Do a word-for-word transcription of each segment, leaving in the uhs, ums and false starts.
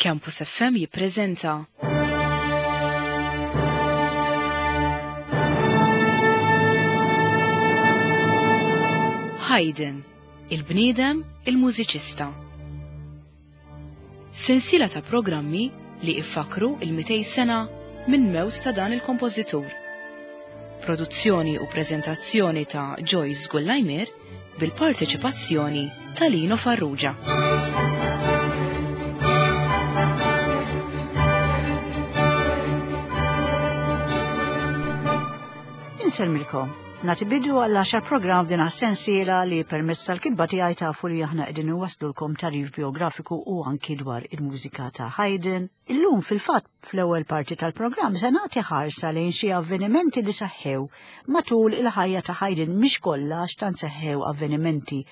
Campus F M jippreżenta Haydn, il-bniedem, il-mużiċista. Sensiela ta' programmi li iffakru il-mitej sena minn mewt ta' dan il-kompożitur. Produzzjoni u preżentazzjoni ta' Joyce Gullajmir bil-parteċipazzjoni ta' Lino Farrugia. Insellmilkom. Nagħti bidu għall għaxar programm f'din sensiela li permezz tal-kitba tiegħi tafu li aħna qegħdin iwasslulkom tagħrif biografiku u anki dwar il-mużika ta' Haydn. Illum fil-fatt fl-ewwel parti tal-programm se nagħti ħarsa lejn xi avvenimenti li seħħew matul il-ħajja ta' Haydn, mhix kollha għax tant seħħew avvenimenti,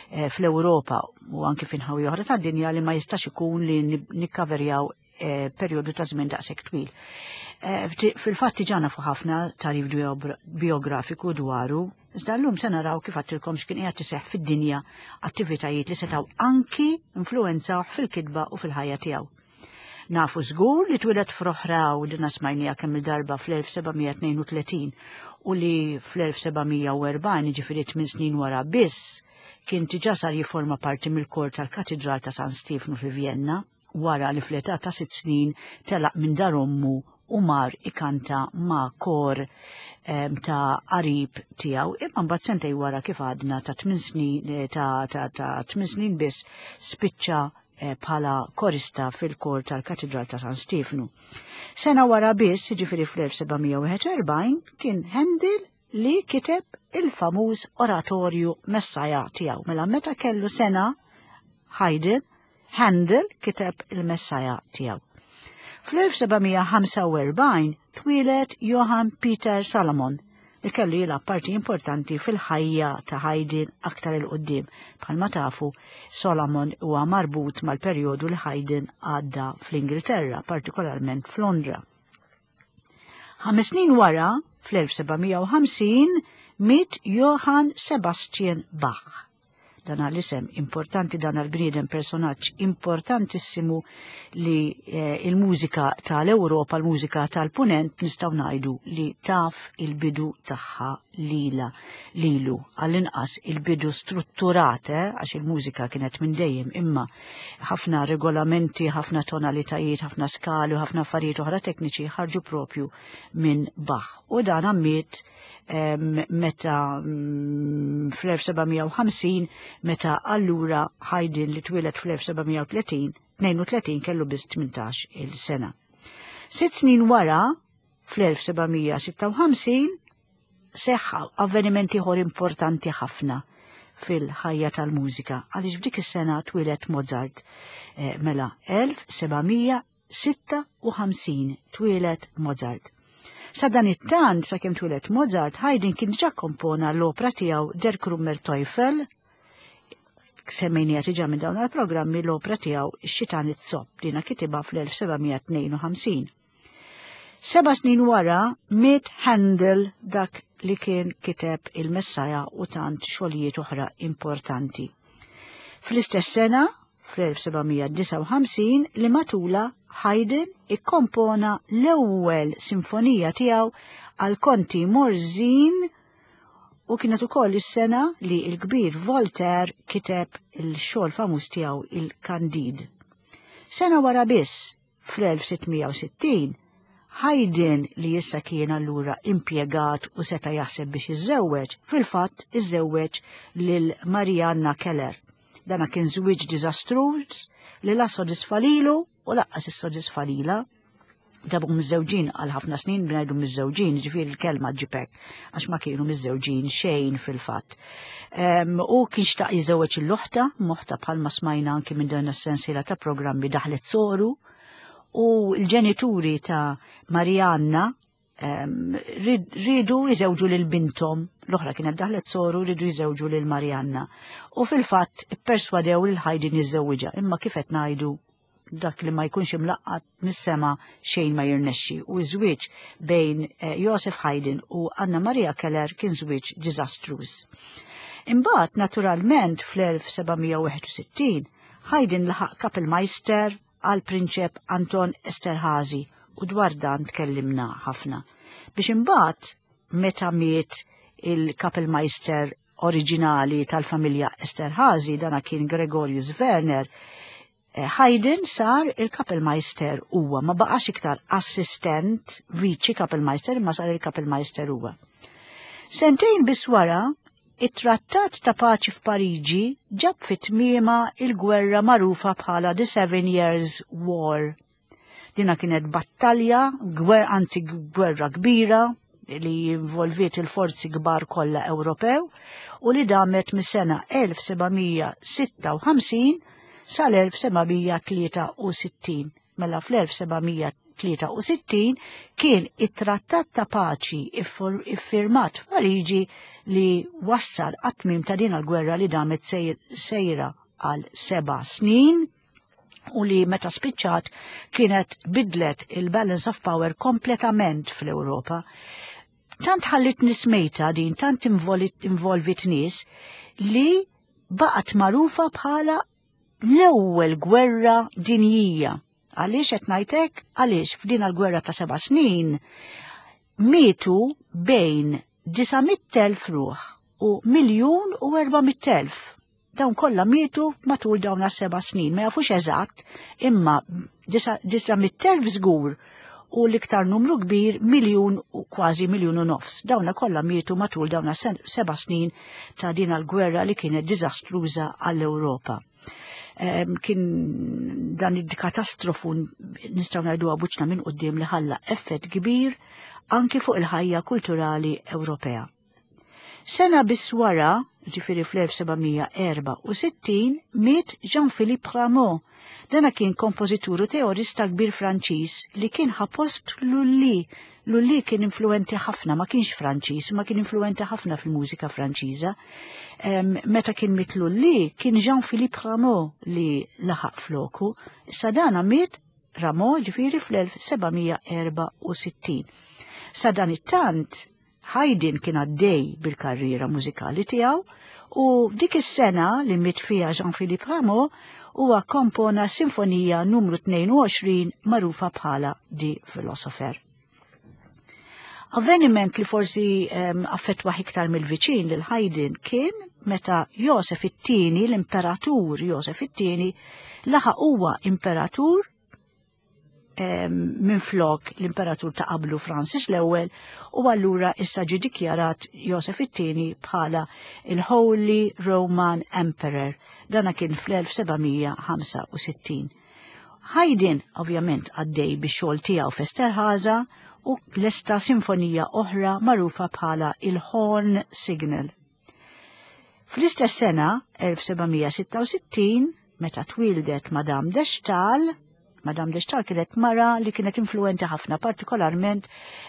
eh, fl-Ewropa u anki f'inħawi oħra tad-dinja li ma jistax ikun li nikkaverjaw, eh, perjodu ta' żmien daqshekk twil. Eh, fti-, fil-fatt diġà nafu ħafna tagħrif biobra-, biografiku dwaru, iżda llum se naraw kif għattilkom x'kien qiegħed iseħħ fid-dinja, attivitajiet li setgħu anki influwenzaw fil-kitba u fil-ħajja tiegħu. Nafu żgur li twieled f'Roħraw li nasmajnija kemm il-darba fl-elf seba' mija tnejn u tletin u li fl-elf seba' mija u erbgħin, jiġifieri tmien snin wara biss, kien diġà sar jiforma parti mill-kor tal-Katidral ta' San Stiefnu fi Vienna, wara li fl-età ta' sitt snin telaq minn dar ommu u mar ikanta ma' kor, em, ta' qarib tiegħu, imma mbagħad sentej wara kif għadna ta' tmien snin, eh, ta', ta', ta' tmien snin biss spiċċa, eh, bħala korista fil-kor tal-Katidral ta' San Stiefnu. Sena wara biss, jiġifieri fl-elf seba' mija wieħed u erbgħin, kien Handel li kiteb il-famuż oratorju Messaja tiegħu. Mela meta kellu sena Haydn, Handel kiteb il-Messaja tiegħu. Fl-elf seba' mija ħamsa u erbgħin twieled Johann Peter Salomon li kellu jilgħab parti importanti fil-ħajja ta' Haydn aktar il quddiem. Bħalma tafu, Solomon huwa marbut mal-perjodu li Haydn għadda fl-Ingilterra, partikolarment f'Londra. Ħames snin wara, fl-elf seba' mija u ħamsin, miet Johann Sebastian Bach. Dan għal-isem importanti, dan għal-bniedem personaġġ importantissimu li, eh, il-mużika tal-Ewropa, l-mużika tal-Punent, nistgħu ngħidu li taf il-bidu tagħha lila, lilu, għall-inqas il-bidu strutturat, eh, għax il-mużika kienet minn dejjem, imma ħafna regolamenti, ħafna tonalitajiet, ħafna skali u ħafna affarijiet oħra tekniċi ħarġu propju minn Bach. U dan għammiet, em, meta, mm, fl-elf seba' mija u ħamsin, meta allura Haydn li twieled fl-elf seba' mija u tletin, tnejn u tletin kellu biss tmintax il-sena. Sitt snin wara, fl-elf seba' mija sitta u ħamsin, seħħa avvenimenti ieħor importanti ħafna fil-ħajja tal-mużika, għaliex f'dik is-sena twieled Mozart. Eh, mela, elf seba' mija sitta u ħamsin twieled Mozart. Sa dan it-tant, sakemm twieled Mozart, Haydn kien diġà kompona l-opra tiegħu Der Krummer Teufel, semmejnija diġà minn dawn il-programmi, l-opra tiegħu Ix-Xitan it-Zopp, dina kitibha fl-elf seba' mija tnejn u ħamsin. Seba' snin wara miet Handel, dak li kien kiteb il-Messaja u tant xogħlijiet oħra importanti. Fl-istess sena, fl-elf seba' mija disgħa u ħamsin, li matula Haydn ikkompona l-ewwel sinfonija tiegħu għal Konti Morzin, u kienet ukoll is-sena li l-kbir Voltaire kiteb il-xogħol famuż tiegħu il-Candide. Sena wara biss, fl-elf sitt mija u sittin, Haydn, li issa kien allura impjegat u seta' jaħseb biex iżżewweġ, fil-fatt iżżewweġ lil Marianna Keller. Dana kien żwieġ diżastruż li la sodisfa lilu u laqqas issodisfa lilha. Dabu miżżewġin għal ħafna snin, bnajdu miżżewġin, ġifieri l-kelma ġipek, għax ma kienu miżżewġin xejn fil-fatt. Em, u kien xtaq jiżżewweġ il-loħta, moħta bħalma smajna anki minn dan is-sensiela ta' programmi daħlet soru, u l-ġenituri ta' Marianna, em, rid-, ridu jiżewġu lil bintom, l-oħra kienet daħlet soru, ridu jiżewġu lil Marianna. U fil-fatt ipperswadew lil Haydn jiżżewwiġha, imma kif qed ngħidu dak li ma jkunx imlaqqat mis-sema xejn ma jirnexxi, u ż-żwieġ bejn, eh, Joseph Haydn u Anna Maria Keller kien żwieġ diżastruż. Imbagħad naturalment fl-elf seba' mija u wieħed u sittin Haydn laħaq Kapellmeister għal prinċep Anton Esterhazy u dwar dan tkellimna ħafna. Biex imbagħad meta miet il-Kapellmeister oriġinali tal-familja Esterhazy, dana kien Gregorius Werner, eh, Haydn sar il-Kapellmeister huwa, ma baqax iktar assistent viċi Kapellmeister, imma sar il-Kapellmeister huwa. Sentejn biss wara, it-trattat ta' paċi f'Pariġi ġab fit-tmiema il-gwerra magħrufa bħala The Seven Years War. Dina kienet battalja, gwer, anzi gwerra kbira, li involviet il-forzi kbar kollha Ewropew u li damet mis-sena elf sebgħamija sitta u ħamsin sal-elf sebgħamija tlieta u sittin. Mela fl-elf sebgħamija tlieta u sittin kien it-trattat ta' paċi iffur-, iffirmat f'Pariġi li wassal għat-tmiem ta' din il-gwerra li damet sejr-, sejra għal seba' snin u li meta spiċċat kienet bidlet il-balance of power kompletament fl-Ewropa. Tant ħallit nies mejta din, tant involit-, involvit nies li baqgħet magħrufa bħala l-ewwel gwerra dinjija. Għaliex qed ngħidlek? Għaliex f'din il-gwerra ta' seba' snin mietu bejn disa' mitt elf ruħ u miljun u erba' mitt elf. Dawn kollha mietu matul dawn is-seba' snin, ma jafux eżatt, imma disa-, disa' mitt elf żgur u l-iktar numru kbir miljun u kważi miljun u nofs. Dawna kollha mietu matul dawn is-sen-, seba' snin ta' din il-gwerra li kienet diżastruża għall-Ewropa. Em, kien dan il-katastrofu nistgħu ngħidu buċna minn quddiem li ħalla effett kbir anki fuq il-ħajja kulturali Ewropea. Sena biss wara, ġifieri fl-elf sebgħamija erba' u sittin, miet Jean-Philippe Rameau. Dana kien kompożitur u teorista kbir Franċiż li kien ħa post Lully. Lully kien influenti ħafna, ma kienx Franċiż, ma kien influenti ħafna fil-mużika Franċiża. Em, meta kien miet Lully, kien Jean-Philippe Rameau li laħaq floku. Issa dana miet Rameau ġifieri fl-elf sebgħamija erba' u sittin. Sa dan it-tant, Haydn kien għaddej bil-karriera mużikali tiegħu u f'dik is-sena li miet fiha Jean-Philippe Rameau huwa kompona sinfonija numru tnejn u għoxrin magħrufa bħala Die Philosopher. Avveniment li forsi, em, affettwa iktar mill-viċin lil Haydn kien meta Josef it-tieni, l-imperatur Josef it-tieni, laħaq huwa imperatur, em, minn flok l-imperatur ta' qablu Francis l-ewwel, u allura issa ġie dikjarat Josef it-tieni bħala il-Holy Roman Emperor. Dana kien fl-elf sebgħamija ħamsa u sittin. Haydn ovvjament għaddej bix-xogħol tiegħu f'Esterhaza u lesta sinfonija oħra magħrufa bħala il-Horn Signal. Fl-istess sena, elf sebgħamija sitta u sittin, meta twildet Madame de Staël, Madame de Staël kienet mara li kienet influenti ħafna, partikolarment,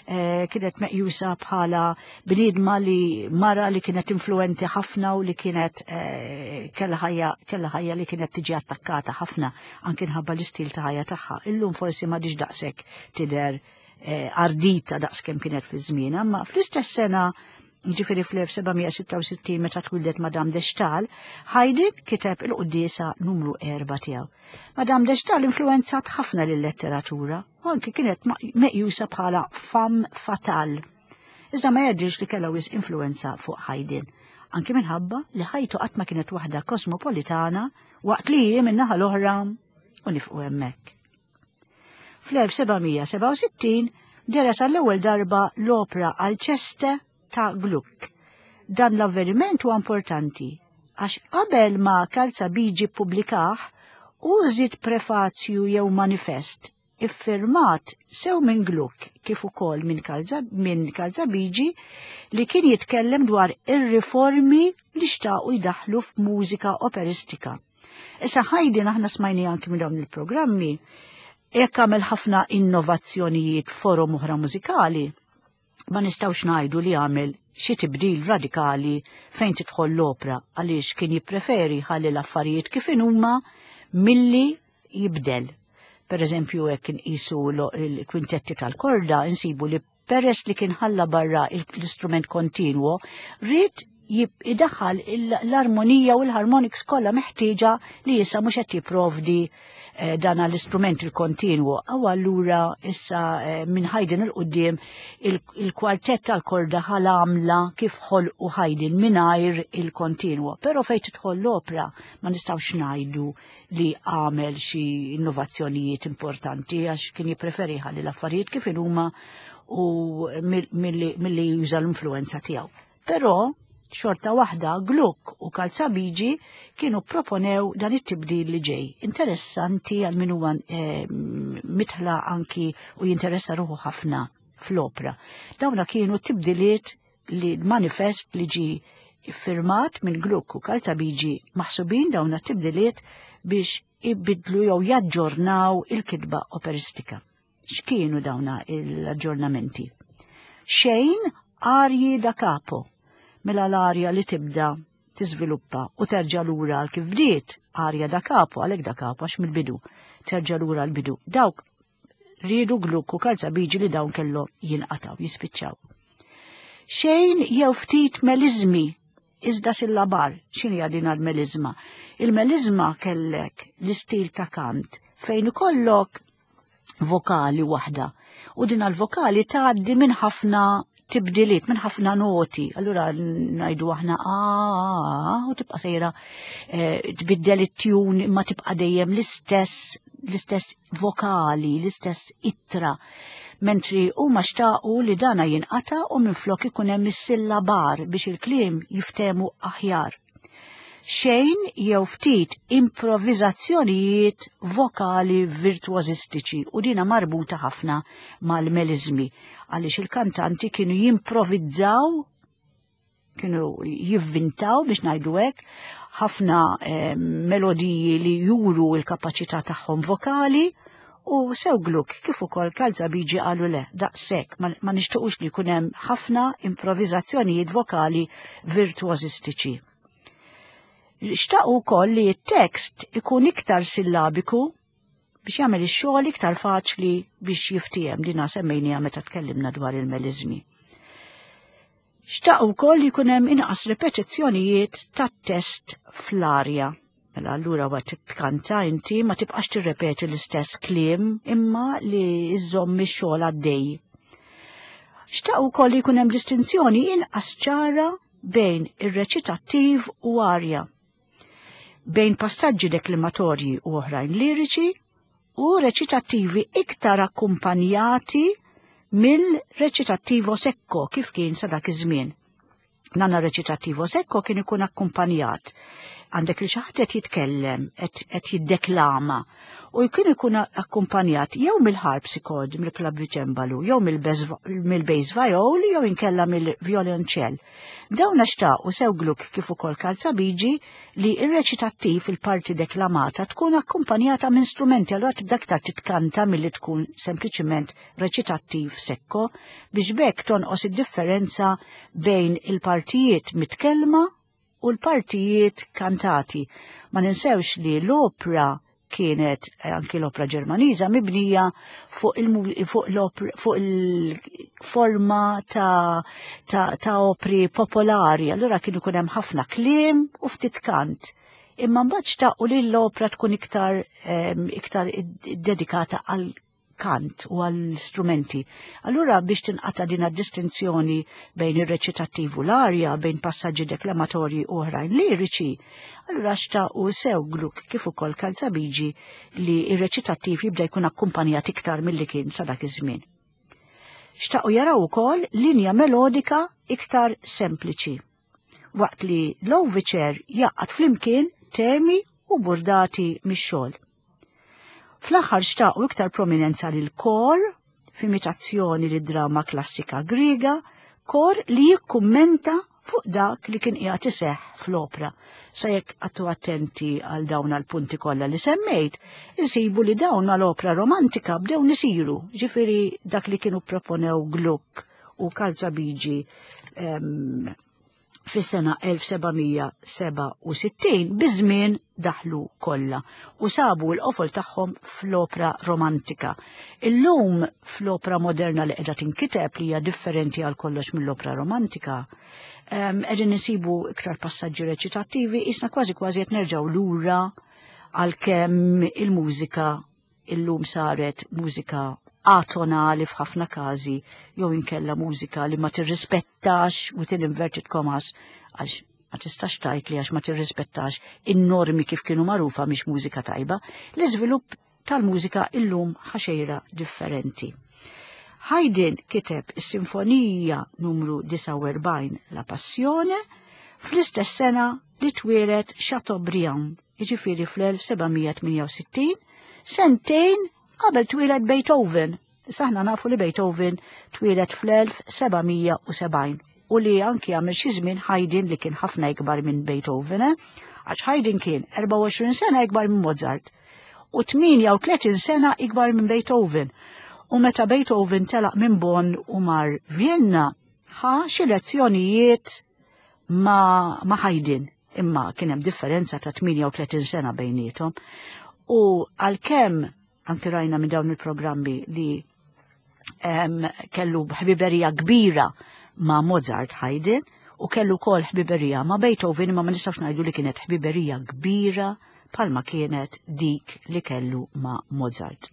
eh, kienet meqjusa bħala bniedma li mara li kienet influenti ħafna u li kienet, eh, kellha ħajja, kellha ħajja li kienet tiġi attakkata ħafna anke nħabba l-istil ta' ħajja tagħha. Illum forsi m'għadix daqshekk tidher, eh, ardita daqskemm kienet fi żmienha, imma fl-istess sena, ġifieri fl-elf sebgħamija sitta u sittin meta twildet Madame de Staël, Haydn kiteb il-quddiesa numru erba' tiegħu. Madame de Staël influenzat ħafna lil-letteratura u anki kienet ma-, meqjusa bħala femme fatale. Iżda ma jgħidx li kellha wisq influenza fuq Haydn, anki minħabba li ħajtu qatt ma kienet waħda kosmopolitana waqt li hi min-naħa l-oħra u nifqu hemmhekk. Fl-elf sebgħamija sebgħa u sittin dehret għall-ewwel darba l-opra Alceste ta' Gluck. Dan l-avveniment huwa importanti għax qabel ma Calzabigi ppubblikah u żied prefazju jew manifest iffirmat sew minn Gluck kif ukoll minn Calza-, minn Calzabigi li kien jitkellem dwar ir-riformi li xtaqu jdaħħlu f'mużika operistika. Issa Haydn aħna smajni anki minn dawn il-programmi jekk għamel ħafna innovazzjonijiet forom oħra mużikali, ma nistgħux ngħidu li għamel xi tibdil radikali fejn tidħol l-opra għaliex kien jippreferi ħalli l-affarijiet kif inhuma milli jibdel. Per eżempju, jekk inqisu lo-, il-kwintetti tal-korda, insibu li peress li kien ħalla barra il-, l-istrument kontinwo, ried Idaħħal l-armonija u l-harmonics kollha meħtieġa li issa mhux qed jipprovdi eh, dan l-istrument il-kontinwu. Aw allura issa eh, minn Haydn 'il quddiem il-kwartett tal-korda ħal-għamla kif ħolqu Haydn mingħajr il-kontinwu. Però fejn tidħol l-opra ma nistgħux ngħidu li għamel xi innovazzjonijiet importanti, għax kien jippreferi ħalli l-affarijiet kif huma u milli juża l-influenza tiegħu. Però xorta waħda Gluck u Calzabigi kienu proponew dan it-tibdil li ġej. Interessanti għal min huwa eh, mitħla anki u jinteressa ruħu ħafna fl-opra. Dawna kienu tibdiliet li manifest li ġi firmat minn Gluck u Calzabigi, maħsubin dawna tibdiliet biex ibidlu jew jaġġornaw il-kitba operistika. X'kienu dawna l-aġġornamenti? Xejn arji da capo, mela l-arja li tibda tiżviluppa u terġa' lura għal kif bdiet, arja da capo, għalhekk da capo għax mill-bidu, terġa' lura l-bidu. Dawk riedu Gluck u Calzabigi li dawn kellhom jinqataw, jispiċċaw. Xejn jew ftit melizmi, iżda sillabar. X'inhi din l-melizma? Il-melizma kellek l-istil ta' kant fejn ikollok vokali waħda u din l-vokali tgħaddi minn ħafna tibdiliet, minn ħafna noti. Allura ngħidu aħna a u tibqa' sejra eh, tbiddel it-tune imma tibqa' dejjem l-istess l-istess vokali, l-istess ittra. Mentri huma xtaqu li dana jinqata u minflok ikun hemm is-sillabar biex il-kliem jiftemu aħjar. Xejn jew ftit improvvizazzjonijiet vokali virtuozistiċi, u dina marbuta ħafna mal-melizmi għaliex il-kantanti kienu jimprovizzaw, kienu jivvintaw biex ngħidu hekk ħafna eh, melodiji li juru l-kapaċità tagħhom vokali, u sew Gluck kif ukoll Calzabigi qalu le, daqshekk, ma, ma nixtiequx li jkun hemm ħafna improvvizazzjonijiet vokali virtuozistiċi. Xtaqu wkoll li t-tekst ikun iktar sillabiku biex jagħmel ix-xogħol iktar faċli biex jiftiehem, dina semmejniha meta tkellimna dwar il-melizmi. Xtaqu wkoll li jkun hemm inqas ripetizzjonijiet tat-test fl-arja. Mela allura waqt tkanta inti ma tibqax tirrepeti l-istess kliem imma li iżżomm ix-xogħol għaddej. Xtaqu wkoll li jkun hemm distinzjoni inqas ċara bejn ir-reċitattiv u arja, bejn passaġġi deklamatorji u oħrajn liriċi u reċitattivi iktar akkumpanjati mill-reċitattivo secco kif kien sa dak iż-żmien. Nana reċitattivo secco kien ikun akkumpanjat. Għandek li xi ħadd qed jitkellem, qed jiddeklama, u jkun ikun akkumpanjat jew mill-harpsichord, mill-klaviċembalu, jew mill-bass viol, jew inkella mill-violonċell. Dawn xtaqu sew Gluck kif ukoll Calzabigi li ir-reċitattiv, il-parti deklamata, tkun akkumpanjata minn strumenti, allura tibda aktar titkanta milli tkun sempliċiment reċitattiv sekko, biex bekk tonqos id-differenza bejn il-partijiet mitkellma u l-partijiet kantati. Ma ninsewx li l-opra kienet, anki l-opra Ġermaniża, mibnija fuq il-forma ta', ta, ta opri popolari. Allura kienu ikun hemm ħafna kliem u ftit kant. Imma mbagħad xtaqu li l-opra tkun iktar, iktar dedikata għal kant u għall-strumenti. Allura biex tinqata din distinzjoni bejn ir-reċitattiv u l-arja, bejn passaġġi deklamatorji u oħrajn liriċi, allura xtaqu sew Gluck kif ukoll Calzabigi li ir-reċitattiv jibda jkun akkumpanjat iktar milli kien sa dak iż-żmien. Xtaqu jaraw ukoll linja melodika iktar sempliċi, waqt li l-overture jaqgħad flimkien temi u burdati mix-xogħol. Fl-aħħar xtaqu iktar prominenza lil kor f'imitazzjoni lid drama klassika Griega, kor li jikkummenta fuq dak li kien qiegħed iseħħ fl-opra. Sa jekk għattu attenti għal dawn għal-punti kollha li semmejt, insibu li dawn għal-opra romantika bdew nisiru, ġifieri dak li kienu proponew Gluck u Calzabigi Fis-sena elf seba' mija seba' u sittin biż-żmien daħlu kollha u sabu l-qofol tagħhom fl-opra romantika. Illum fl-opra moderna li qiegħda tinkiteb li hija differenti għal kollox mill-opra romantika, em, qegħdin insibu iktar passaġġi reċitattivi, isna kważi kważi qed nerġgħu lura għalkemm il-mużika illum saret mużika atonali f'ħafna każi jew inkella mużika li ma tirrispettax within inverted commas, għax ma tistax tgħid li għax ma tirrispettax in-normi kif kienu magħrufa mhix mużika tajba. L-iżvilupp tal-mużika illum ħaxejra differenti. Haydn kiteb is-Sinfonija numru disgħa u erbgħin La Passione fl-istess sena li twieled Chateaubriand, jiġifieri fl-elf seba' mija tmienja u sittin, sentejn qabel twieled Beethoven. Saħna nafu li Beethoven twieled fl-elf seba' mija u sebgħin u li anki għamel xi żmien Haydn li kien ħafna ikbar minn Beethoven, eh? Għax Haydn kien erbgħa u għoxrin sena ikbar minn Mozart u tmienja u tletin sena ikbar minn Beethoven. U meta Beethoven telaq minn Bonn u mar Vienna, ħa xi lezzjonijiet ma, ma Haydn, imma kien hemm differenza ta' tmienja u tletin sena bejniethom. U għalkemm anki rajna minn dawn il-programmi li, em, kellu ħbiberija kbira ma' Mozart Haydn u kellu kol ħbiberija ma' Beethoven, imma ma nistgħux ngħidu li kienet ħbiberija kbira bħalma kienet dik li kellu ma' Mozart.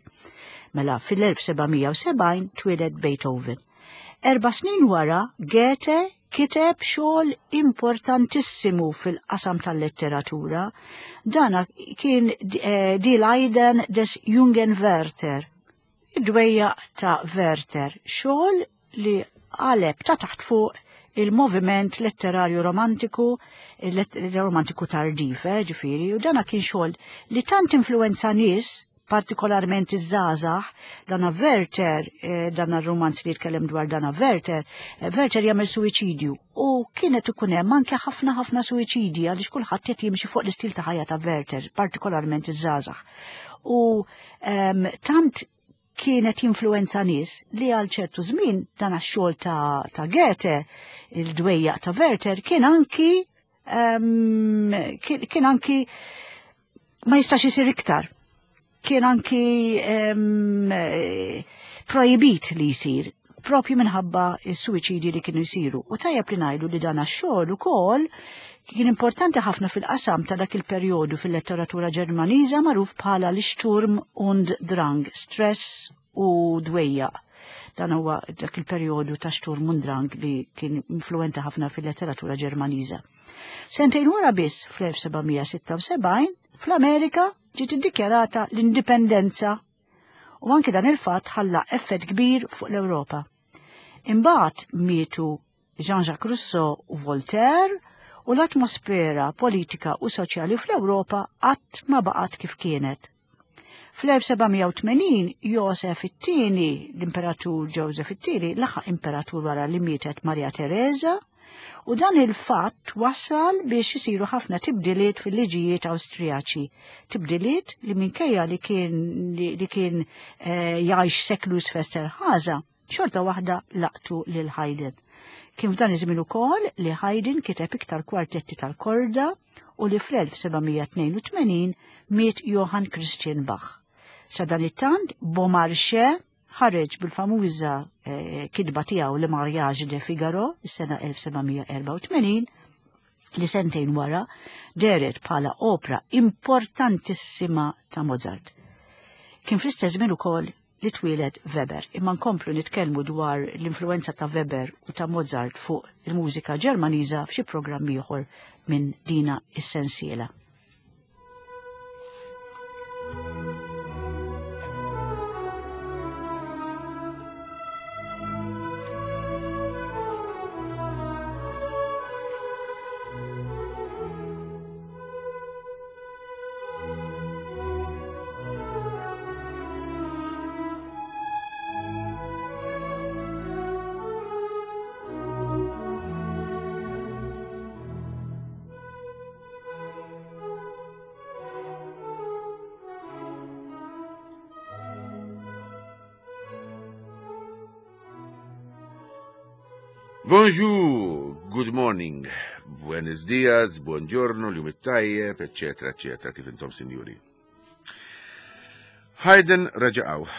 Mela fil-elf seba' mija u sebgħin twieled Beethoven. Erba' snin wara Goethe kiteb xogħol importantissimu fil-qasam tal-letteratura. Dana kien, eh, Die Leiden des Jungen Werther, id-dwejjaq ta' Werther, xogħol li qaleb ta' taħt fuq il-moviment letterarju romantiku, il-let-, romantiku tardiv, eh, ġifieri, u dana kien xogħol li tant influenza nies, partikolarment iż-żgħażagħ. Dana Werther, eh, dana r-romanz li jitkellem dwar dana Werther, eh, Werther jagħmel suwiċidju u kienet ikun hemm anke ħafna ħafna suwiċidji għaliex kulħadd qed jimxi fuq l-istil ta' ħajja ta' Werther, partikolarment iż-żgħażagħ. U, ehm, tant kienet jinfluenza nies li għal ċertu żmien dan għax-xogħol ta', ta' Goethe, il-dwejjaq ta' Werther, kien anki, ehm, kien, kien anki ma jistax isir iktar. Kien anki, ehm, eh, projbit li jsir, propju minħabba s-suwiċidi li kienu jsiru. U tajjeb li ngħidu li dan għax-xogħol ukoll kien importanti ħafna fil-qasam ta' dak il-perjodu fil-letteratura Ġermaniża magħruf bħala l-Sturm und Drang, stress u dwejjaq. Dan huwa dak il-perjodu ta' Sturm und Drang li kien influenti ħafna fil-letteratura Ġermaniża. Sentejn wara biss fl-elf seba' mija sitta u sebgħin fl-Amerika ġiet iddikjarata l-indipendenza u anke dan il-fatt ħalla effett kbir fuq l-Ewropa. Imbagħad mietu Jean-Jacques Rousseau u Voltaire u l-atmosfera politika u soċjali fl-Ewropa qatt ma baqgħet kif kienet. Fl-elf seba' mija u tmenin Josef it-tieni, l-Imperatur Joseph it-tieni, laħaq imperatur wara li mietet Maria Teresa, u dan il-fatt wassal biex isiru ħafna tibdiliet fil-liġijiet Awstrijaċi. Tibdiliet li minkejja li kien, li, li kien, eh, jgħix seklu Esterházy, xorta waħda laqtu lil Haydn. Kien f'dan iż-żmien ukoll li Haydn kiteb iktar kwartetti tal-korda u li fl-elf seba' mija tnejn u tmenin miet Johann Christian Bach. Sa dan it-tant Beaumarchais ħareġ bil-famuża, eh, kitba tiegħu Le Mariage de Figaro is-sena elf seba' mija erba' u tmenin, li sentejn wara dehret bħala opra importantissima ta' Mozart. Kien fl-istess żmien ukoll li twieled Weber, imma nkomplu nitkellmu dwar l-influenza ta' Weber u ta' Mozart fuq il-mużika Ġermaniża f'xi programm ieħor minn dina is-sensiela. Bonjour, good morning, buenos dias, buongiorno, l-jum it-tajjeb, eccetera, eccetera, kif intom sinjuri. Haydn reġa' hawn,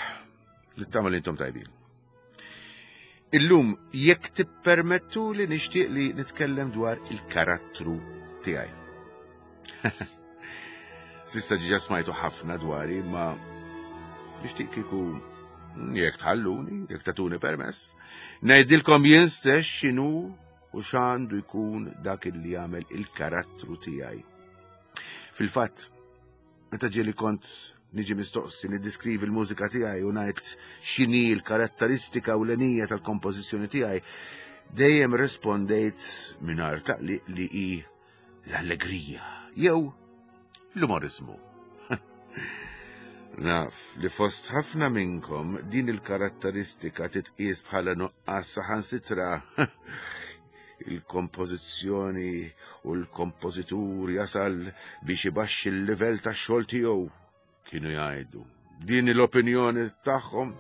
nittama li intom tajbin. Illum, jekk tippermettu li nixtieq li nitkellem dwar il-karattru tiegħi. S'issa diġà smajtu ħafna dwari, ma nixtieq kieku jekk tħalluni, jekk tagħtuni permess, ngħidilkom jien stess x'inhu u x'għandu jkun dak li jagħmel il-karattru tiegħi. Fil-fatt, meta ġieli kont niġi mistoqsi niddiskrivi l-mużika tiegħi u ngħid x'inhi l-karatteristika ewlenija tal-kompożizzjoni tiegħi, dejjem rispondejt mingħajr taqliq li hi l-allegrija jew l-umorizmu. Naf li fost ħafna minnkom din il-karatteristika titqies bħala nuqqas, saħansitra il-kompożizzjoni u l-kompożitur jasal biex ibaxxi l-livell tax-xogħol tiegħu, kienu jgħidu. Din l-opinjoni tagħhom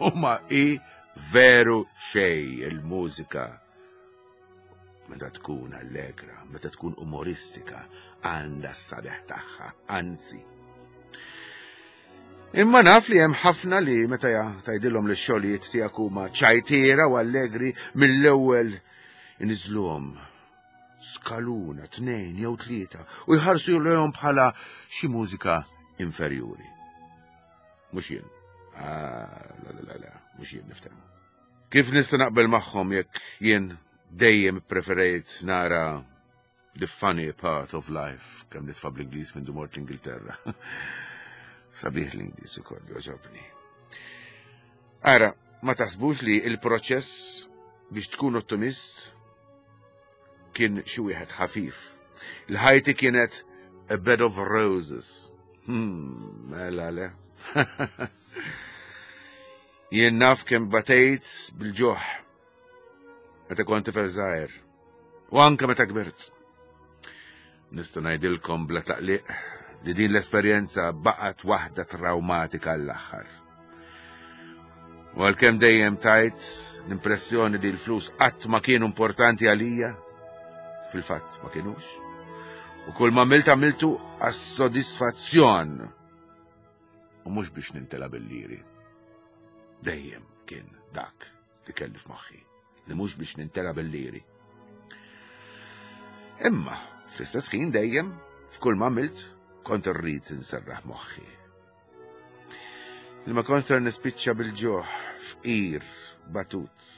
huma i veru xej il-mużika. Meta tkun allegra, meta tkun umoristika, għandha s-sabiħ tagħha, anzi. Imma naf li hemm ħafna li meta tgħidilhom li x-xogħlijiet tiegħek huma ċajtiera u allegri, mill-ewwel iniżluhom skaluna, tnejn jew tlieta u jħarsu lejhom bħala xi mużika inferjuri. Mhux jien. Ah, la la la la, mhux jien, niftehmu. Kif nista' naqbel magħhom jekk jien dejjem preferejt nara the funny part of life, kemm nitfa' bl-Ingliż minn mort l-Ingilterra. Sabiħ l-Ingliż ukoll, jogħġobni. Ara, ma taħsbux li il-proċess biex tkun ottimist kien xi wieħed ħafif. Il-ħajti kienet a bed of roses. Hmm, mela le. Jien naf kemm batejt bil-ġuħ meta kont tifel żgħir u anke meta kbirt. Nista' ngħidilkom bla taqliq li din l-esperjenza baqgħet waħda traumatika l-aħħar. U għalkemm dejjem tajt l-impressjoni li l-flus qatt ma kienu importanti għalija, fil-fatt ma kienux. U kull ma għamilt għamiltu għas-sodisfazzjon u mhux biex nintela bil-liri. Dejjem kien dak li kelli f'moħħi, li mhux biex nintela bil-liri. Imma fl-istess ħin dejjem f'kull ma għamilt kont irrid inserraħ moħħi. Li ma kont ser nispiċċa bil-ġuħ, fqir, batut.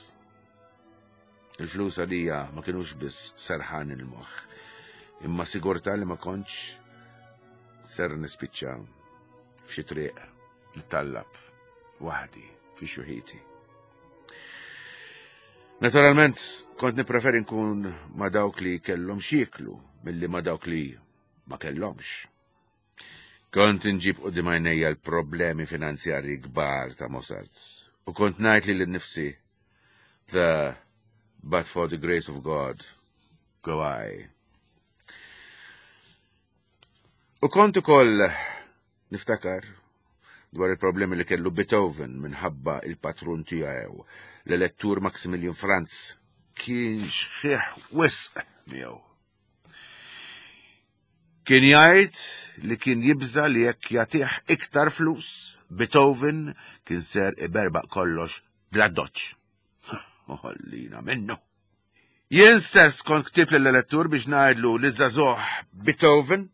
Il-flus għalija ma kienux biss serħan il-moħħ, imma sigurtà li ma kontx ser nispiċċa f'xi triq nittallab waħdi fi xjuħiti. Naturalment, kont nippreferi nkun ma' dawk li kellhom x'jieklu milli ma' dawk li ma kellhomx. Kont nġib quddiem għajnejja l-problemi finanzjarji kbar ta' Mozart u kont ngħid lili nnifsi, "The but for the grace of God go I." U kont ukoll niftakar dwar il-problemi li kellu Beethoven minħabba il-patrun tiegħu, l-elettur Maximilian Franz, kien xħiħ wisq miegħu. Kien jgħid li kien jibża li jekk jagħtih iktar flus, Beethoven kien ser iberbaq kollox bla doċ. Ħallina minnu. Jien stess kont ktibt lill-elettur biex ngħidlu li żagħżugħ Beethoven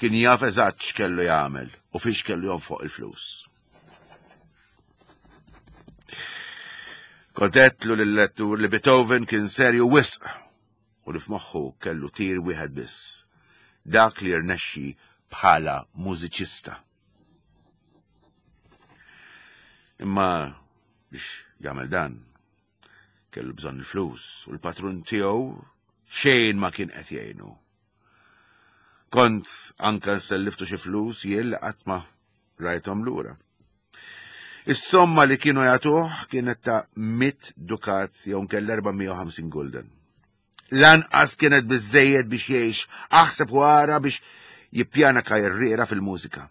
kien jaf eżatt x'kellu jagħmel u fiex kellu jonfoq il-flus. Kont għedtlu lill-elettur li Beethoven kien serju wisq u li f'moħħu kellu tir wieħed biss, dak li rnexxi bħala mużiċista. Imma biex jagħmel dan, kellu bżonn il-flus u l-patrun tiegħu xejn ma kien qed jgħinu. Kont anka nselliftu xi flus jien li qatt ma rajthom lura. Is-somma li kienu jagħtuh kienet ta' mitt dukat jew nkella erba' mija u ħamsin gulden. Lanqas kienet biżżejjed biex jgħix, aħseb u ara biex jippjana karriera fil-mużika.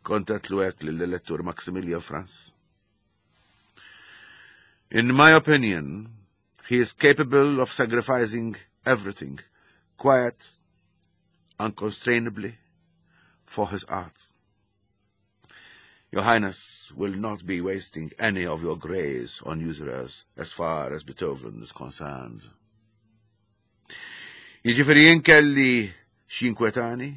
Kont għedtlu hekk lill-elettur Maximilian Franz. In my opinion, he is capable of sacrificing everything, quiet, unconstrainably, for his art. Your Highness will not be wasting any of your grace on usurers as far as Beethoven is concerned. Jiġifieri jien kelli x'jinkwetani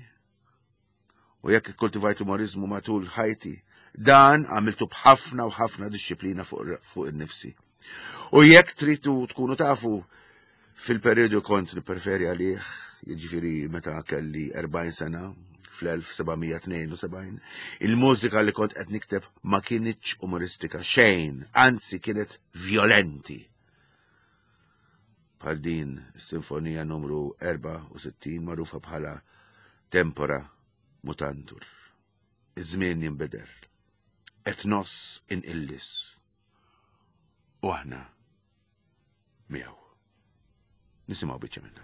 u jekk ikkultivajt umorizmu matul ħajti, dan għamiltu b'ħafna u ħafna disċiplina fuq fuq innifsi. U jekk tridu tkunu tafu fil-periodu kont nippreferi għalih, jiġifieri meta kelli erbgħin sena, fl-elf seba' mija tnejn u sebgħin, il-mużika li kont qed nikteb ma kinitx umoristika xejn, anzi kienet violenti. Bħal din is-sinfonija numru erbgħa u sittin magħrufa bħala Tempora Mutantur. Iż-żmien jinbidel, etnos inqillis. U aħna miegħu. Nisimgħu biċċa minnha.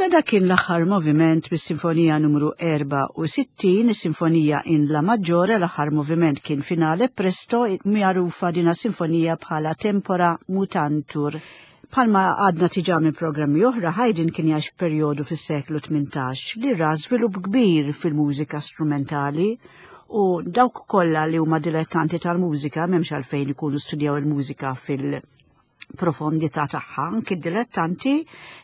Mela dak kien l-aħħar moviment bis-sinfonija numru erbgħa u sittin, is-sinfonija in La Maggiore, l-aħħar moviment kien finale presto, magħrufa dina sinfonija bħala Tempora Mutantur. Palma għadna tiġa minn programmi oħra, Haydn kien jgħix f'perjodu fis-seklu tmintax li ra żvilupp kbir fil-mużika strumentali u dawk kollha li huma dilettanti tal-mużika m'hemmx għalfejn ikunu studjaw il-mużika fil- profondità tagħha, anki d-dilettanti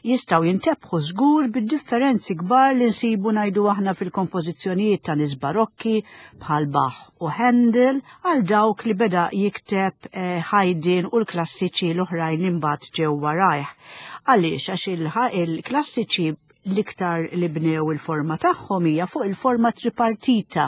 jistgħu jintebħu żgur bid-differenzi kbar li nsibu ngħidu aħna fil-kompożizzjonijiet ta' nies barokki bħal Bach u Handel għal dawk li beda jikteb, eh, Haydn u l-klassiċi l-oħrajn imbagħad ġew warajh. Għaliex? Għax il-klassiċi l-iktar li bnew il-forma tagħhom hija fuq il-forma tripartita.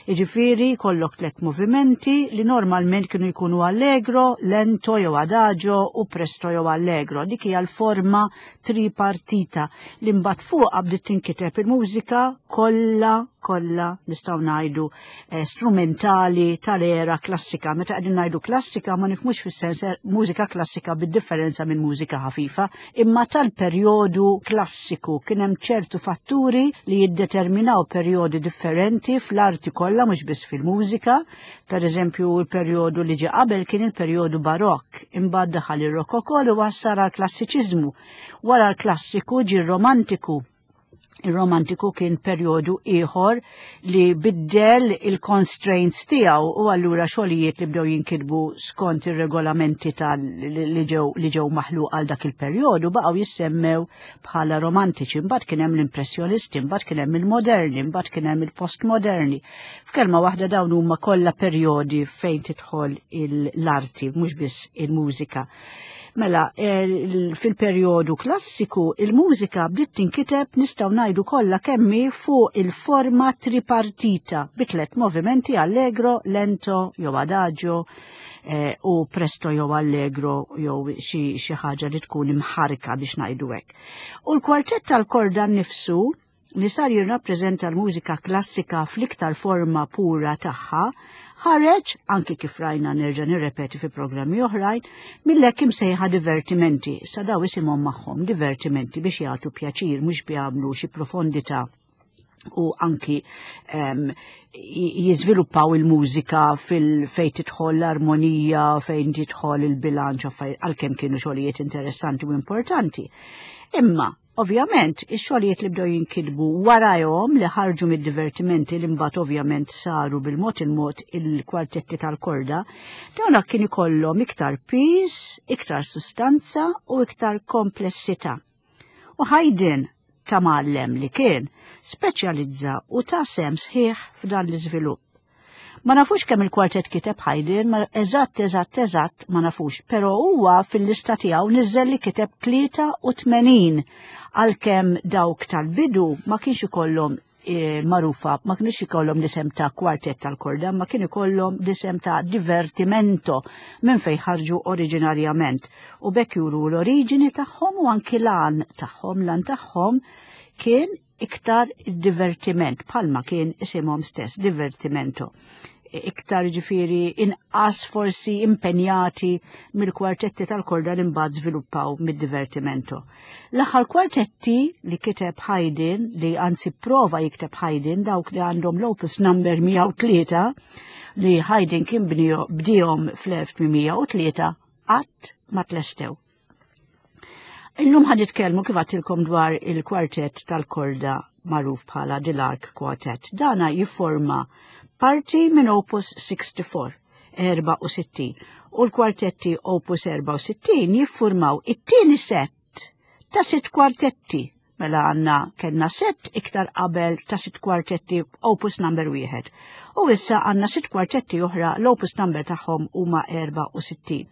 Jiġifieri kollok tliet movimenti li normalment kienu jkunu allegro, lento jew adagio u presto jew allegro. Dik hija l-forma tripartita li mbagħad fuqha bdiet tinkiteb il-mużika kollha kollha nistgħu ngħidu eh, strumentali tal-era klassika. Meta qegħdin ngħidu klassika ma nifhmux fis-sens mużika klassika bid-differenza minn mużika ħafifa, imma tal-perjodu klassiku kien hemm ċertu fatturi li jiddeterminaw perjodi differenti fl-arti kollha, mhux biss fil-mużika. Per eżempju, il-perjodu li ġie qabel kien il-perjodu barokk, imbagħad daħal ir-rokokò u wassal għall-klassiċiżmu. Wara l-klassiku ġie r-romantiku. Il-romantiku kien perjodu ieħor li biddel il-constraints tiegħu u allura xogħlijiet li bdew jinkitbu skont ir-regolamenti tal li ġew li ġew maħluq għal dak il-perjodu baqgħu jissemmew bħala romantiċi. Imbagħad kien hemm l-impressjonisti, imbagħad kien hemm il-moderni, imbagħad kien hemm il-postmoderni. F'kelma waħda, dawn huma kollha perjodi fejn tidħol l-arti, mhux biss il-mużika. Mela, fil-perjodu klassiku, il-mużika bdiet tinkiteb, nistgħu ngħidu, kollha kemm hi fuq il-forma tripartita bi tliet movimenti: allegro, lento jew adagio eh, u presto jew allegro jew xi ħaġa li tkun imħarka, biex ngħidu hekk. U l-kwartett tal-korda nnifsu, li sar jirrappreżenta l-mużika klassika fl-iktar forma pura tagħha, ħareġ, anki kif rajna, nerġa' nirrepeti, fi programmi oħrajn, mill-hekk imsejħa divertimenti. Sa daw isimhom magħhom, divertimenti, biex jagħtu pjaċir, mhux jagħmlu xi profondità u anki um, jiżviluppaw il-mużika fil-fejn tidħol l-armonija, fejn tidħol il-bilanċ, għalkemm kienu xogħlijiet interessanti u importanti. Imma ovvjament, ix-xogħlijiet li bdew jinkitbu warajhom, li ħarġu mid-divertimenti, li mbagħad ovvjament saru bil-mod il-mod il-kwartetti tal-korda, dawn kien ikollhom iktar piż, iktar sustanza u iktar komplessità. U Haydn, ta' mgħallem li kien, speċjalizza u ta sehem sħiħ f'dan l-iżvilupp. Ma nafux kemm il-kwartet kiteb Haydn, ma eżatt, eżatt, eżatt ma nafux, però huwa fil-lista tiegħu niżel li kiteb tlieta u tmenin, għalkemm dawk tal-bidu ma kienx ikollhom e, magħrufa, ma kienx ikollhom l-isem ta' kwartet tal-korda, ma kien ikollhom l-isem ta' divertimento minn fejn ħarġu oriġinarjament. U b'hekk juru l-oriġini tagħhom u anki l-għan tagħhom. L-għan tagħhom kien iktar divertiment, bħalma kien isimhom stess, divertimento. Iktar, ġifieri, inqas forsi impenjati mill-kwartetti tal-korda li mbagħad żviluppaw mid-divertimento. L-aħħar kwartetti li kiteb Haydn, li anzi prova jikteb Haydn, dawk li għandhom l-opus number mija u tlieta, li Haydn kien bdihom fl-elf tmien mija u tlieta, qatt ma tlestew. Illum ħa nitkellmu, kif għedtilkom, dwar il-kwartett tal-korda magħruf bħala The Lark Quartet. Dana jifforma parti minn Opus sittaħxi, erbgħa u sittin. U l-kwartetti Opus erbgħa u sittin jiffurmaw it-tieni set ta' sitt kwartetti. Mela għandna kellna set iktar qabel ta' sitt kwartetti, Opus number wieħed. U issa għandna sitt kwartetti oħra, l-opus number tagħhom huma erbgħa u sittin.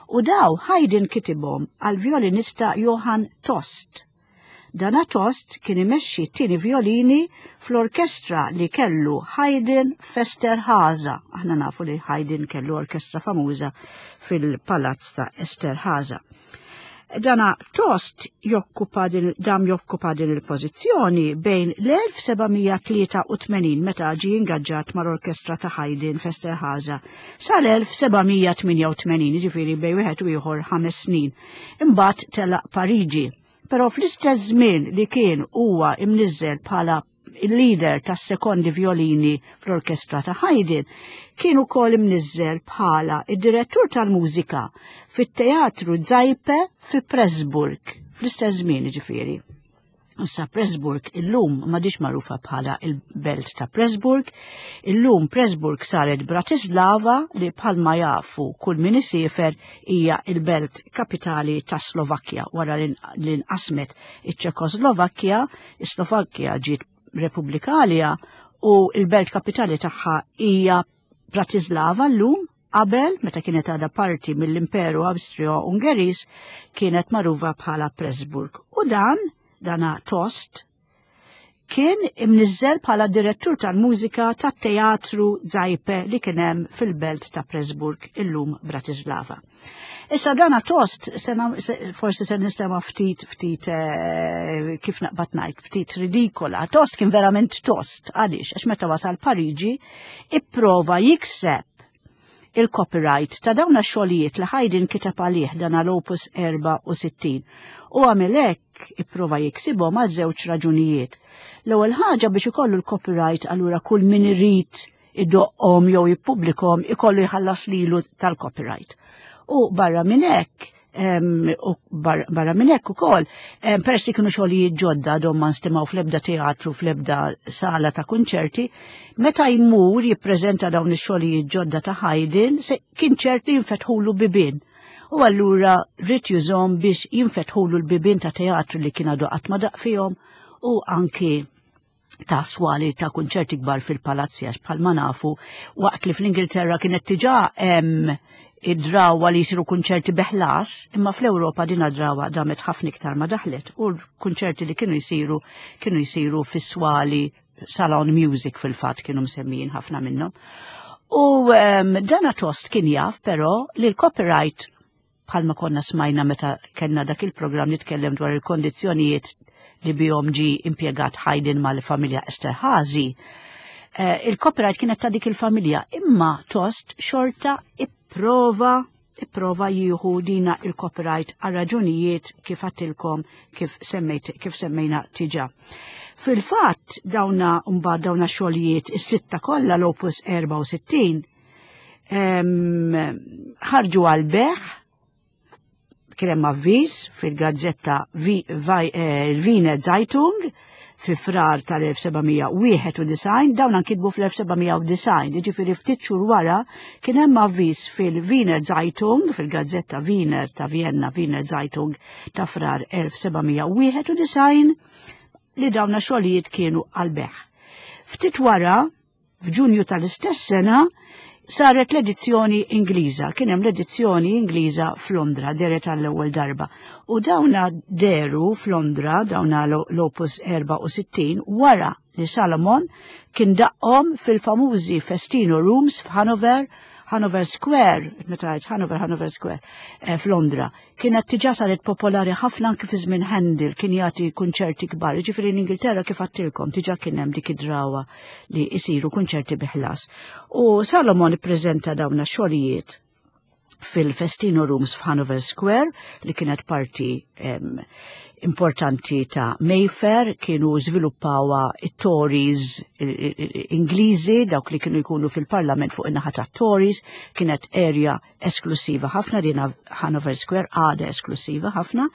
U daw Haydn kitibhom għal violinista Johann Tost. Dana Tost kien imexxi t-tieni violini fl-orkestra li kellu Haydn f'Esterhaza. Aħna nafu li Haydn kellu orkestra famuża fil-palazz ta' Esterhaza. Dana Tost jokkupa din, dam jokkupa din il-pożizzjoni bejn l-elf seba' mija tlieta u tmenin, meta ġie ingaġġat mal-orkestra ta' Haydn f'Esterhaza, sal-elf seba' mija tmienja u tmenin, ġifieri bejn wieħed u ieħor ħames snin. Imbagħad telaq Pariġi. Però fl-istess żmien li kien huwa imniżżel bħala il-leader tas sekondi violini fl-orkestra ta' Haydn, kien ukoll imniżżel bħala id-direttur tal-mużika fit-teatru Zajpe fi Pressburg, fl-istess żmien, ġifieri. Issa Pressburg illum m'għadhiex magħrufa bħala il-belt ta' Pressburg, illum Pressburg saret Bratislava, li bħalma jafu kull min isiefer hija il-belt kapitali ta' Slovakkja wara li nqasmet iċ-Ċekoslovakkja, is-Slovakkja ġiet Repubblika għaliha u il-belt kapitali tagħha hija Bratislava llum. Qabel, meta kienet għadha parti mill-Imperu Awstrio-Ungeris, kienet magħrufa bħala Pressburg. U dan, dana Tost, kien kien imniżżel bħala direttur tal-mużika tat-teatru Zajpe li kien hemm fil-belt ta' Pressburg, illum Bratislava. Issa dana Tost, sena, se, forsi se nistema ftit, ftit, eh, kif naqbad ngħid, ftit ridikola. Tost kien verament tost, għaliex? Għax meta wasal Pariġi, ipprova jikseb il-copyright ta' dawn xogħlijiet li Haydn kiteb għalih, dan l-Opus erbgħa u sittin. U għamel hekk, ipprova jiksibhom għal żewġ raġunijiet. L-ewwel ħaġa, biex ikollu l-copyright, allura kull min irid idoqqhom jew jippubblikhom ikollu jħallas lilu tal-copyright. U barra minn hekk, u barra minn hekk ukoll, peress li kienu xogħlijiet ġodda, għadhom ma nstemgħu fl-ebda teatru, fl-ebda sala ta' kunċerti, meta jmur jippreżenta dawn ix-xogħlijiet ġodda ta' Haydn, kien ċert li jinfetħulu bibien. U allura ried jużahom biex jinfetħulu l-bibien ta' teatru li kien għadu qatt ma daqq fihom u anki ta' swali ta' kunċerti kbar fil-palazzi, għax bħalma nafu, waqt li fl-Ingilterra kienet diġà hemm id-drawa li jisiru kunċerti bi ħlas, imma fl-Ewropa din drawa damet ħafna iktar ma daħlet u l-kunċerti li kienu jisiru kienu jisiru fis-swali, salon music fil-fatt kienu msemmijin ħafna minnhom. U um, dana Tost kien jaf però li l-copyright, bħalma konna smajna meta kellna dak il-programm nitkellem dwar il-kondizzjonijiet li bihom ġi impjegat Haydn mal-familja Esterhazy, eh, il-copyright kienet ta' dik il-familja, imma Tost xorta ipprova ipprova jieħu dina il-copyright għal raġunijiet kif għedtilkom, kif semmejt, kif semmejna diġà. Fil-fatt dawna mbagħad dawna xogħlijiet is-sitta kollha, l-Opus erbgħa u sittin, ħarġu għal bejgħ. Kien hemm avviż fil-gazzetta Wiener Zeitung fi Frar tal-elf seba' mija wieħed u disgħin, dawn nkitbu fl-elf seba' mija u disgħin, jiġifieri ftit xhur wara kien hemm avviż fil-Wiener Zeitung, fil-gazzetta Wiener ta' Vienna, Wiener Zeitung ta' Frar elf seba' mija wieħed u disgħin, li dawna xogħlijiet kienu għal-bejgħ. Ftit wara, f'Ġunju tal-istess sena, saret l-edizzjoni Ingliża, kien hemm l-edizzjoni Ingliża f'Londra, dehret għall-ewwel darba. U dawna dehru f'Londra, dawna l-Opus erbgħa u sittin, wara li Salomon kien daqqhom fil-famużi Festino Rooms f'Hanover, Hanover Square, meta għedt Hanover, Hanover Square, eh, f'Londra. Kienet diġà saret popolari ħafna anki fi żmien Handel, kien jagħti kunċerti kbar. Ġifieri l-Ingilterra, kif għedtilkom, diġà kien hemm dik id-drawa li jisiru kunċerti bi ħlas. U Salomon ippreżenta dawna xogħlijiet fil-Festino Rooms f'Hanover Square, li kienet parti em, importanti ta' Mayfair, kienu żviluppawa it-Tories Ingliżi, dawk li kienu jkunu fil-parlament fuq in-naħa ta' Tories, kienet area esklusiva ħafna, dina Hanover Square għada esklusiva ħafna,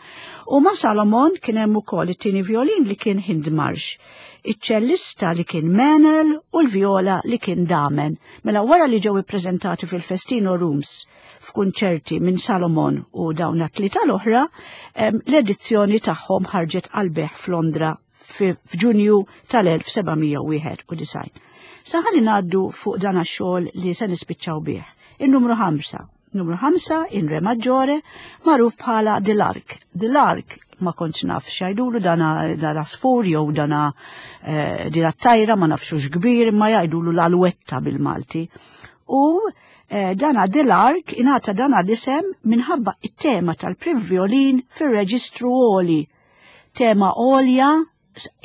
u ma' Salomon kien hemm ukoll it-tieni violin li kien Hindmarsh, iċ-ċellista li kien Mennel u l-viola li kien Damen. Mela wara li ġew ippreżentati fil-Festino Rooms f'kunċerti minn Salomon u dawn it-tlieta l-oħra, l-edizzjoni tagħhom ħarġet għal-bejgħ f'Londra f'Ġunju tal-elf seba' mija wieħed u disgħin. Sa ħalli ngħaddu fuq dan għax-xogħol li se nispiċċaw bih. Il-numru ħamsa. Numru ħamsa in re maggiore, magħruf bħala The Lark. The Lark ma kontx naf x'jgħidulu dana l-għasfur jew dana eh, dina tajra, ma nafxux kbir, ma jgħidulu l-alwetta bil-Malti. U eh, dana The Lark ingħata dana l-isem minħabba it-tema tal-prim violin fir-reġistru għoli. Tema għolja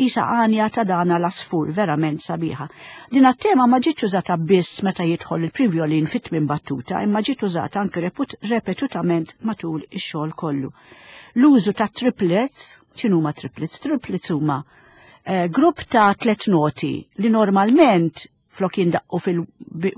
isa għanja ta' dana l-għasfur, verament sabiħa. Din tema ma ġietx użata biss meta jidħol il-prim violin fit-tmien battuta, imma ġiet użata anke repetutament matul ix-xogħol kollu. L-użu ta' triplets, x'inhuma triplets? Triplets huma eh, grupp ta' tlet noti li normalment flok jindaqqu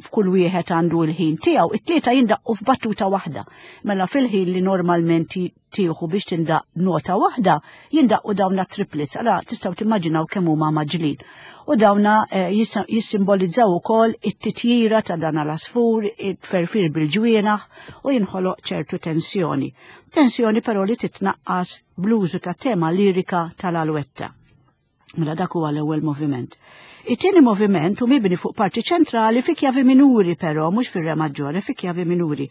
f'kull wieħed għandu l-ħin tiegħu, it-tlieta jindaqqu f'battuta waħda. Mela fil-ħin li normalment tieħu biex tindaq nota waħda, jindaqqu dawna triplets. Allura tistgħu timmaġinaw kemm huma mgħaġġlin. U dawna eh, jissimbolizzaw ukoll it-titjira ta' dan l-għasfur, it-tferfir bil-ġwienaħ, u jinħoloq ċertu tensjoni. Tensjoni però li titnaqqas bl-użu ta' tema lirika tal-alwetta. Mela dak huwa l-ewwel moviment. It-tieni moviment hu mibni fuq parti ċentrali fi kjavi minuri però, mhux fir-re maġġore, fi kjavi minuri.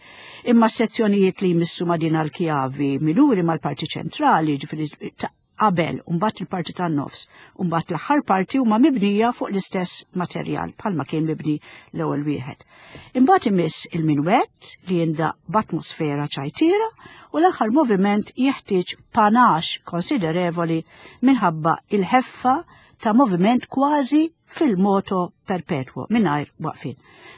Imma sezzjonijiet li jmissu ma' din l-kjavi minuri mal-parti ċentrali, ġifieri qabel u mbagħad il-parti tan-nofs u mbagħad l-aħħar parti huma mibnija fuq l-istess materjal bħalma kien mibni l-ewwel wieħed. Imbagħad imiss il-minwett li jindaq b'atmosfera ċajtiera u l-aħħar moviment jeħtieġ panax konsiderevoli minħabba il-ħeffa ta' moviment kważi fil-moto perpetuo mingħajr waqfien.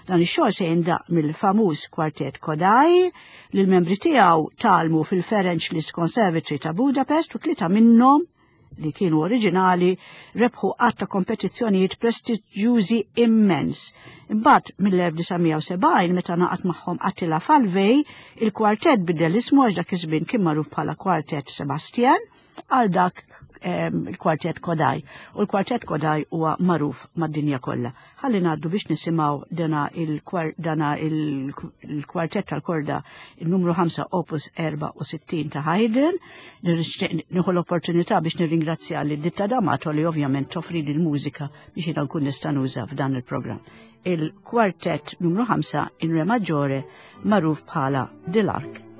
Dan ix-xogħol se jindaq mill-famuż kwartett Kodály li l-membri tiegħu tgħallmu fil-Ferenc Liszt Conservatory ta' Budapest u tlieta minnhom li kienu oriġinali rebħu għadd ta' kompetizzjonijiet prestiġjużi immens. Imbagħad mill-elf disa' mija u sebgħin meta naqat magħhom Attila Falvey, il-kwartett bidel ismu għax dak iż-żmien kien magħruf bħala Kwartett Sebastian għal dak, ehm, il-kwartett Kodály. U l-kwartett Kodály huwa magħruf mad-dinja kollha. Ħalli ngħaddu biex nisimgħu dana il-kwar-, dana il-, il-kwartett tal-korda il-numru ħamsa opus erba' u sittin ta' Haydn. Nixtieq nieħu l-opportunità biex nirringrazzja lil Ditta D'Amato li ovvjament toffri l-mużika biex jiena nkun nista' nuża f'dan il-programm. Il-kwartett numru ħamsa in re maggiore magħruf bħala Dell'Arc.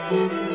Thank you.